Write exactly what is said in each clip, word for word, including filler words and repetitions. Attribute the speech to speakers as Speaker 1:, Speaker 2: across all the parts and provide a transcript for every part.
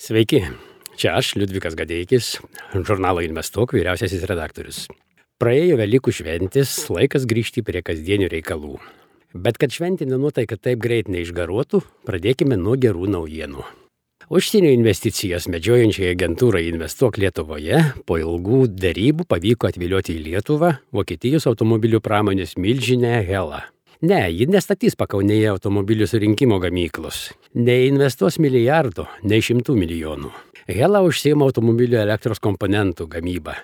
Speaker 1: Sveiki, čia aš, Liudvikas Gadeikis, žurnalo Investuok vyriausiasis redaktorius. Praėjo Velykų šventės, laikas grįžti prie kasdienių reikalų. Bet kad šventinė nuotaika taip greit neišgaruotų, pradėkime nuo gerų naujienų. Užsienio investicijas medžiojančiai agentūrai Investuok Lietuvoje po ilgų derybų pavyko atvilioti į Lietuvą Vokietijos automobilių pramonės milžinę Hella. Ne, ji nestatys Pakaunėje automobilių surinkimo gamyklos. Neinvestuos milijardo, nei šimtų milijonų. Hella užsiima automobilių elektros komponentų gamybą.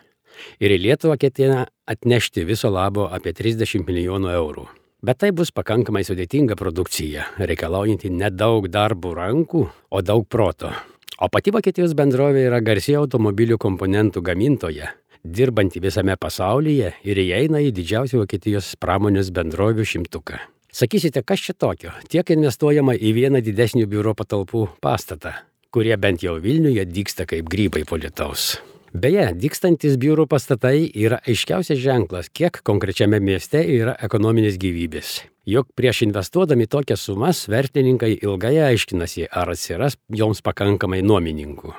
Speaker 1: Ir į Lietuvą ketina atnešti viso labo apie trisdešimt milijonų eurų. Bet tai bus pakankamai sudėtinga produkcija, reikalaujanti nedaug darbo rankų, o daug proto. O pati Vokietijos bendrovė yra garsi automobilių komponentų gamintoja, dirbanti visame pasaulyje ir įeina į didžiausią Vokietijos pramonės bendrovių šimtuką. Sakysite, kas čia tokio? Tiek investuojama į vieną didesnių biuro patalpų pastatą, kurie bent jau Vilniuje dygsta kaip grybai po lietaus. Beje, dygstantis biurų pastatai yra aiškiausias ženklas, kiek konkrečiame mieste yra ekonominės gyvybės. Juk prieš investuodami tokias sumas, verslininkai ilgai aiškinasi, ar atsiras joms pakankamai nuomininkų.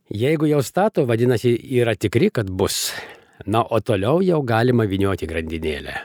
Speaker 1: Jeigu jau stato, vadinasi, yra tikri, kad bus. Na, o toliau jau galima vynioti grandinėlę.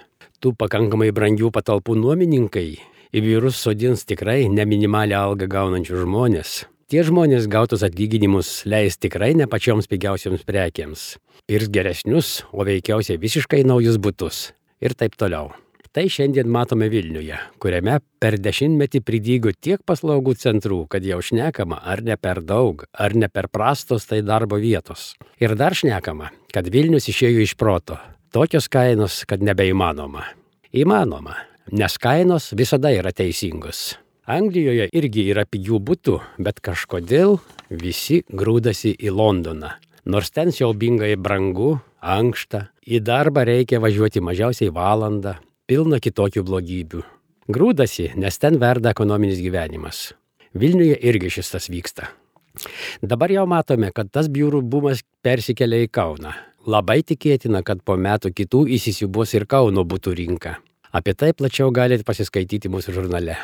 Speaker 1: Tų pakankamai brangių patalpų nuomininkai į biurus sodins tikrai ne minimalią algą gaunančių žmonės. Tie žmonės gautus atlyginimus leis tikrai ne pačioms pigiausioms prekiams. Pirks geresnius, o veikiausiai visiškai naujus butus. Ir taip toliau. Tai šiandien matome Vilniuje, kuriame per dešimtmetį pridygo tiek paslaugų centrų, kad jau šnekama, ar ne per daug, ar ne per prastos tai darbo vietos. Ir dar šnekama, kad Vilnius išėjo iš proto. Tokios kainos, kad nebeįmanoma. Įmanoma, nes kainos visada yra teisingos. Anglijoje irgi yra pigių butų, bet kažkodėl visi grūdasi į Londoną. Nors ten siaubingai brangu, ankšta, į darbą reikia važiuoti mažiausiai valandą, pilna kitokių blogybių. Grūdasi, nes ten verda ekonominis gyvenimas. Vilniuje irgi šis tas vyksta. Dabar jau matome, kad tas biurų bumas persikelia į Kauną. Labai tikėtina, kad po metų kitų įsisiūbuos ir Kauno butų rinka. Apie tai plačiau galite pasiskaityti mūsų žurnale.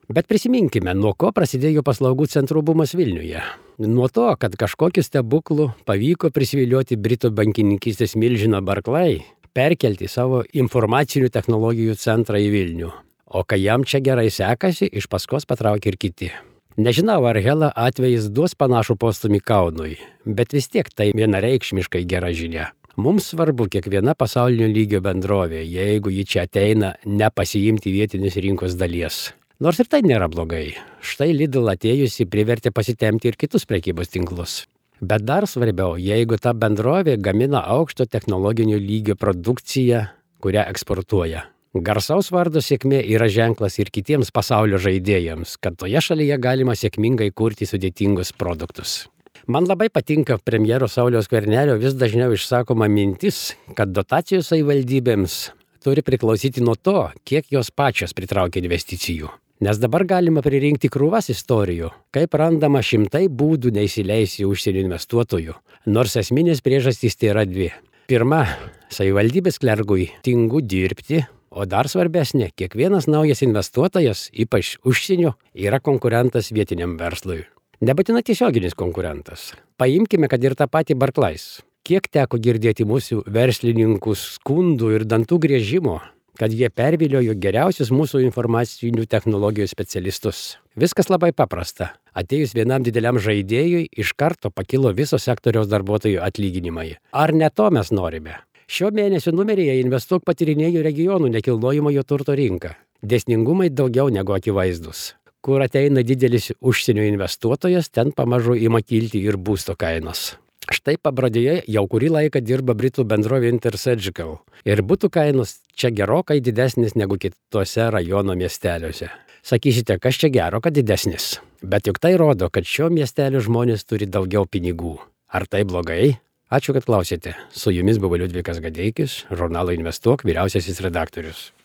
Speaker 1: Bet prisiminkime, nuo ko prasidėjo paslaugų centrų bumas Vilniuje. Nuo to, kad kažkokiu stebuklu pavyko prisivilioti Britų bankininkystės milžiną Barclay, perkelti savo informacinių technologijų centrą į Vilnių. O kai jam čia gerai sekasi, iš paskos patraukė ir kiti. Nežinau, ar Hella atvejis duos panašų postumį Kaunui, bet vis tiek tai vienareikšmiškai gera žinia. Mums svarbu kiekviena pasaulinio lygio bendrovė, jeigu ji čia ateina nepasiimti vietinės rinkos dalies. Nors ir tai nėra blogai. Štai Lidl atėjusi privertė pasitemti ir kitus prekybos tinklus. Bet dar svarbiau, jeigu ta bendrovė gamina aukšto technologinio lygio produkciją, kurią eksportuoja. Garsaus vardo sėkmė yra ženklas ir kitiems pasaulio žaidėjams, kad toje šalyje galima sėkmingai kurti sudėtingus produktus. Man labai patinka premjero Sauliaus Skvernelio vis dažniau išsakoma mintis, kad dotacijos savivaldybėms turi priklausyti nuo to, kiek jos pačios pritraukia investicijų. Nes dabar galima pririnkti krūvas istorijų, kaip randama šimtai būdų neįsileisti užsienio investuotojų, nors esminės priežastys tai yra dvi. Pirma, savivaldybės klergui tingu dirbti, o dar svarbesnė, kiekvienas naujas investuotojas, ypač užsienio, yra konkurentas vietiniam verslui. Nebūtina tiesioginis konkurentas. Paimkime, kad ir tą patį Barclay. Kiek teko girdėti mūsų verslininkų skundų ir dantų griežimo, kad jie perviliojo geriausius mūsų informacinių technologijų specialistus. Viskas labai paprasta. Atėjus vienam dideliam žaidėjui, iš karto pakilo viso sektoriaus darbuotojų atlyginimai. Ar ne to mes norime? Šio mėnesio numeryje Investuok patyrinėjo regionų nekilnojamojo turto rinką. Dėsningumai daugiau negu akivaizdus. Kur ateina didelis užsienio investuotojas, ten pamažu ima kilti ir būsto kainos. Štai Pabradėje jau kurį laiką dirba Britų bendrovė Intersurgical. Ir butų kainos čia gerokai didesnis negu kitose rajono miesteliuose. Sakysite, kas čia gero, kad didesnis. Bet juk tai rodo, kad šio miestelio žmonės turi daugiau pinigų. Ar tai blogai? Ačiū, kad klausėte. Su jumis buvo Liudvikas Gadeikis, žurnalo Investuok vyriausiasis redaktorius.